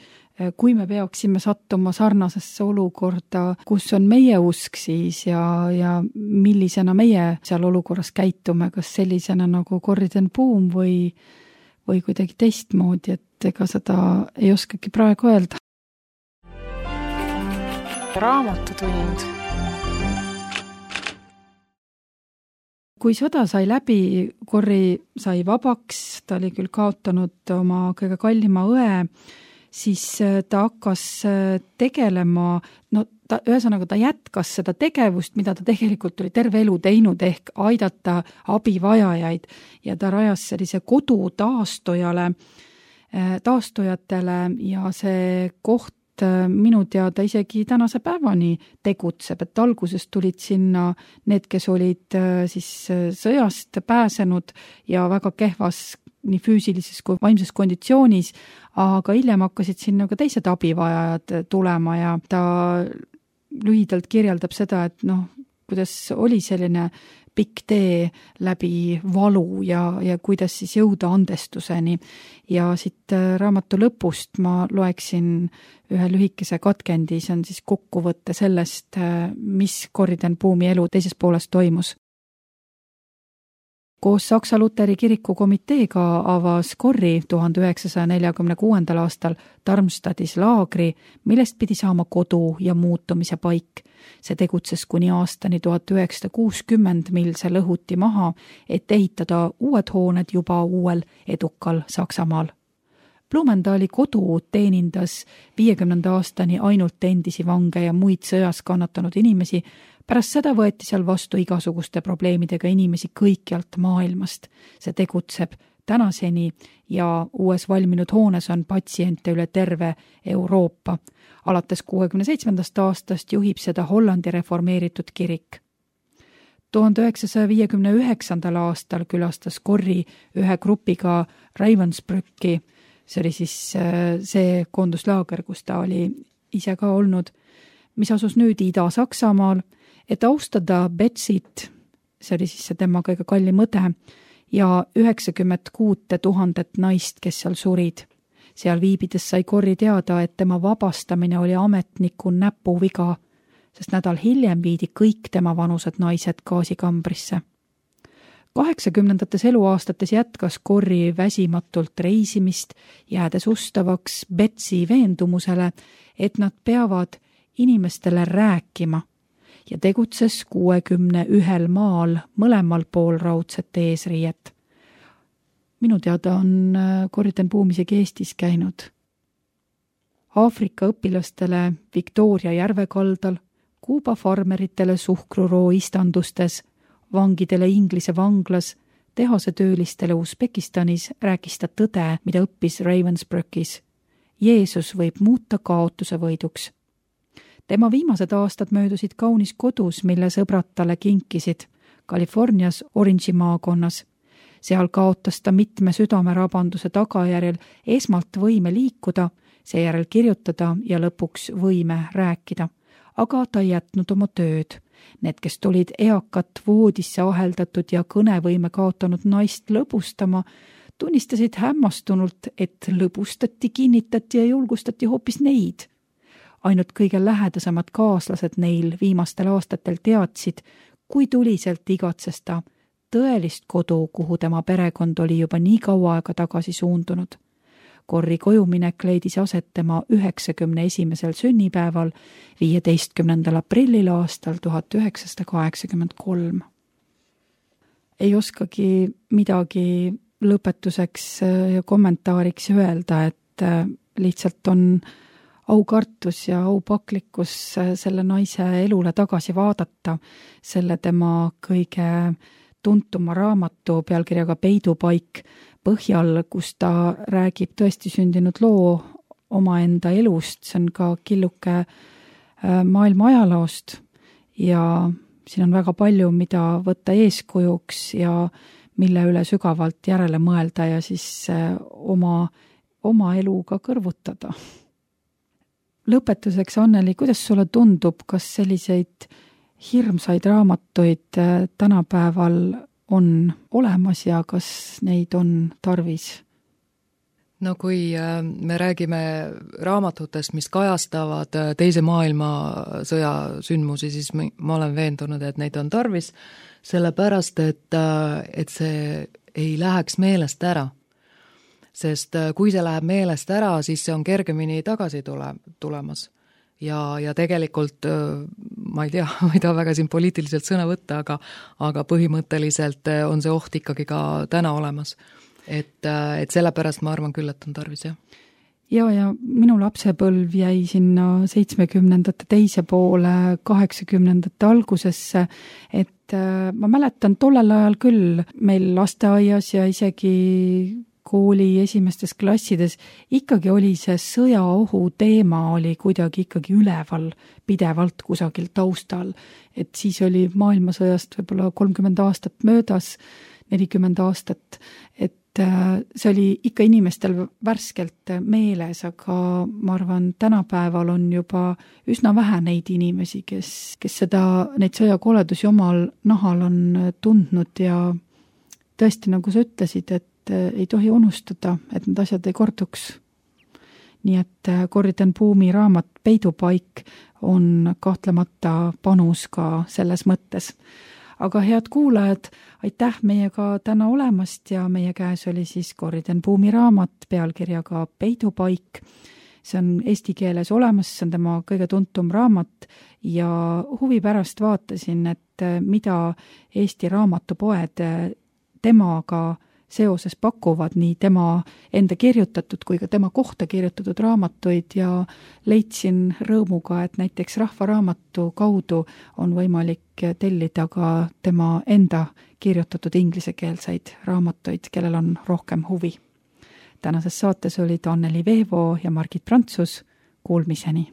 kui me peaksime sattuma sarnasesse olukorda, kus on meie usk siis ja millisena meie seal olukorras käitume, kas sellisena nagu Corrie ten Boom või kuidagi teistmoodi, et ega seda ei oskagi praegu öelda. Raamatutund. Kui sõda sai läbi, Corrie sai vabaks, ta oli küll kaotanud oma kõige kallima õe, siis ta hakkas tegelema, ühesõnaga ta jätkas seda tegevust, mida ta tegelikult oli terve elu teinud, ehk aidata abivajajaid ja ta rajas sellise kodu taastujatele ja see koht minu teada isegi tänase päevani tegutseb, et alguses tulid sinna need, kes olid siis sõjast pääsenud ja väga kehvas nii füüsilises kui vaimses konditsioonis, aga hiljem hakkasid sinna ka teised abivajajad tulema ja ta lühidalt kirjeldab seda, et kuidas oli selline pikk tee läbi valu ja kuidas siis jõuda andestuseni. Ja siit raamatu lõpust ma loeksin ühe lühikese katkendi, see on siis kokkuvõtte sellest, mis Corrie ten Boomi elu teises pooles toimus. Koos Saksa Luteri kiriku komiteega avas Corrie 1946. aastal Darmstadtis laagri, millest pidi saama kodu ja muutumise paik. See tegutses kuni aastani 1960, mil see lõhuti maha, et ehitada uued hooned juba uuel edukal Saksamaal. Blumenthali kodu teenindas 50. aastani ainult endisi vange ja muid sõjas kannatanud inimesi. Pärast seda võeti seal vastu igasuguste probleemidega inimesi kõikjalt maailmast. See tegutseb tänaseni ja uues valminud hoones on patsiente üle terve Euroopa. Alates 67. aastast juhib seda Hollandi reformeeritud kirik. 1959. aastal külastas Corrie ühe grupiga Ravensbrücki. See oli siis see koonduslaager, kus ta oli ise ka olnud, mis asus nüüd Ida-Saksamaal, et austada Betsit, see oli siis see tema kõige kallim õde, ja 96 000 naist, kes seal surid. Seal viibides sai Corrie teada, et tema vabastamine oli ametniku näpuviga, sest nädal hiljem viidi kõik tema vanused naised gaasikambrisse. 80. eluaastates jätkas Corrie väsimatult reisimist, jäädes ustavaks Betsi veendumusele, et nad peavad inimestele rääkima ja tegutses 61 maal mõlemal pool raudset eesriiet. Minu teada on Corrie ten Boom isegi Eestis käinud. Aafrika õpilastele Victoria järve kaldal, Kuuba farmeritele suhkruroo istandustes, vangidele Inglise vanglas, tehase töölistele Usbekistanis rääkis ta tõde, mida õppis Ravensbrückis. Jeesus võib muuta kaotuse võiduks. Tema viimased aastad möödusid kaunis kodus, mille sõbrad talle kinkisid, Californias Orange'i maakonnas. Seal kaotas ta mitme südamerabanduse tagajärjel esmalt võime liikuda, seejärel kirjutada ja lõpuks võime rääkida. Aga ta ei jätnud oma tööd. Need, kes tulid eakat voodisse aheldatud ja kõnevõime kaotanud naist lõbustama, tunnistasid hämmastunult, et lõbustati, kinnitati ja julgustati hoopis neid. Ainult kõige lähedasemad kaaslased neil viimastel aastatel teadsid, kui tuliselt igatses ta tõelist kodu, kuhu tema perekond oli juba nii kaua aega tagasi suundunud. Corrie kojuminek leidis aset tema 91. sünnipäeval 15. aprillil aastal 1983. ei oskagi midagi lõpetuseks ja kommentaariks öelda, et lihtsalt on aukartus ja aupaklikkus selle naise elule tagasi vaadata, selle tema kõige tuntuma raamatu pealkirjaga Peidupaik põhjal, kus ta räägib tõesti sündinud loo omaenda elust, see on ka killuke maailma ajaloost ja siin on väga palju, mida võtta eeskujuks ja mille üle sügavalt järele mõelda ja siis oma eluga kõrvutada. Lõpetuseks, Anneli, kuidas sulle tundub, kas selliseid hirmsaid raamatuid tänapäeval on olemas ja kas neid on tarvis? No kui me räägime raamatutest, mis kajastavad teise maailmasõja sündmusi, siis ma olen veendunud, et neid on tarvis, sellepärast, et see ei läheks meelest ära. Sest kui see läheb meelest ära, siis see on kergemini tagasi tulemas. Ja tegelikult, ma ei tea, ma ei taha väga siin poliitiliselt sõna võtta, aga põhimõtteliselt on see oht ikkagi ka täna olemas. Et sellepärast ma arvan küll, et on tarvis, jah. Ja minu lapsepõlv jäi sinna 70ndate teise poole, 80ndate algusesse, et ma mäletan tollel ajal küll meil lasteaias ja isegi kooli esimestes klassides ikkagi oli see sõjaohu teema oli kuidagi ikkagi üleval pidevalt kusagil taustal, et siis oli maailmasõjast võib-olla 30 aastat möödas, 40 aastat, et see oli ikka inimestel värskelt meeles, aga ma arvan, tänapäeval on juba üsna vähe neid inimesi, kes neid sõjakoledusi omal nahal on tundnud ja tõesti, nagu sa ütlesid, et ei tohi unustada, et need asjad ei korduks. Nii et Corrie Buumi raamat Peidupaik on kahtlemata panus ka selles mõttes. Aga head kuulajad, aitäh meiega täna olemast ja meie käes oli siis Corrie Buumi raamat pealkirjaga Peidupaik. See on eesti keeles olemas, see on tema kõige tuntum raamat ja huvi pärast vaatasin, et mida Eesti raamatupoed temaga seoses pakuvad nii tema enda kirjutatud kui ka tema kohta kirjutatud raamatuid ja leidsin rõõmuga, et näiteks Rahvaraamatu kaudu on võimalik tellida ka tema enda kirjutatud inglisekeelseid raamatuid, kellel on rohkem huvi. Tänases saates olid Anneli Veevo ja Margit Prantsus. Kuulmiseni!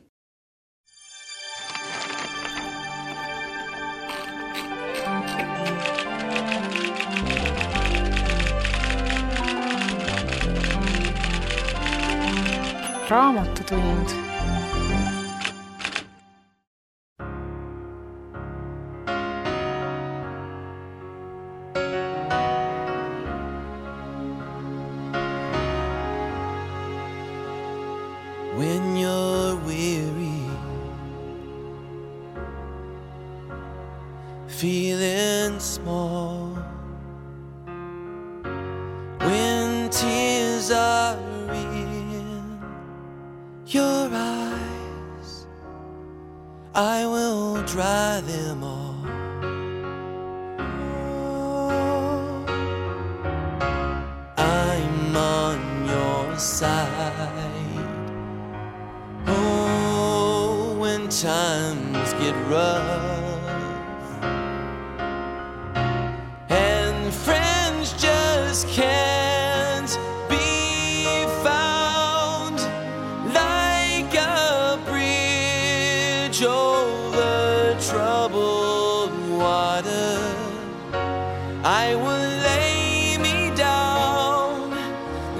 Raamatutund. When you're weary, feeling small, when tears are your eyes, I will dry them all. Oh, I'm on your side. Oh, when times get rough and friends just can't be found, over troubled water, I will lay me down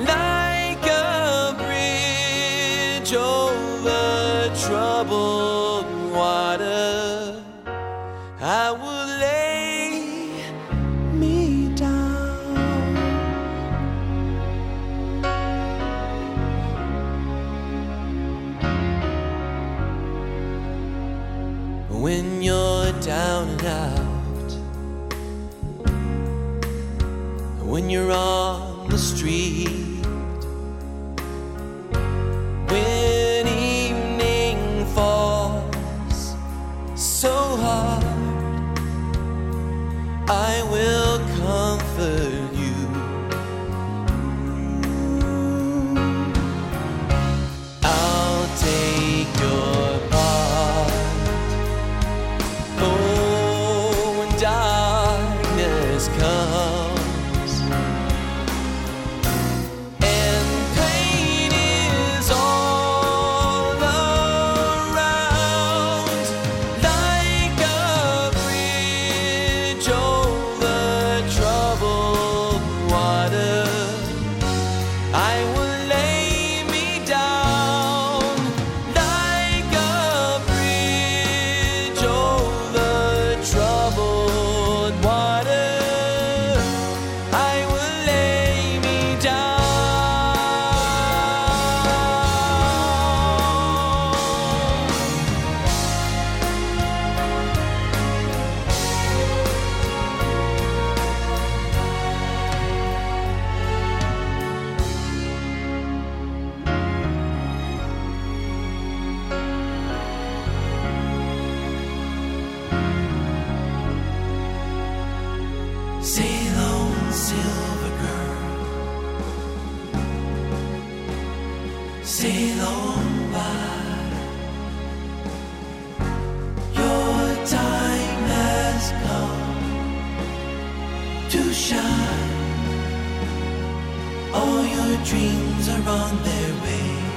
like a bridge over troubled water. I will lay me down. When you're down and out, when you're on the street, when evening falls so hard, I will come sail on by. Your time has come to shine. All your dreams are on their way.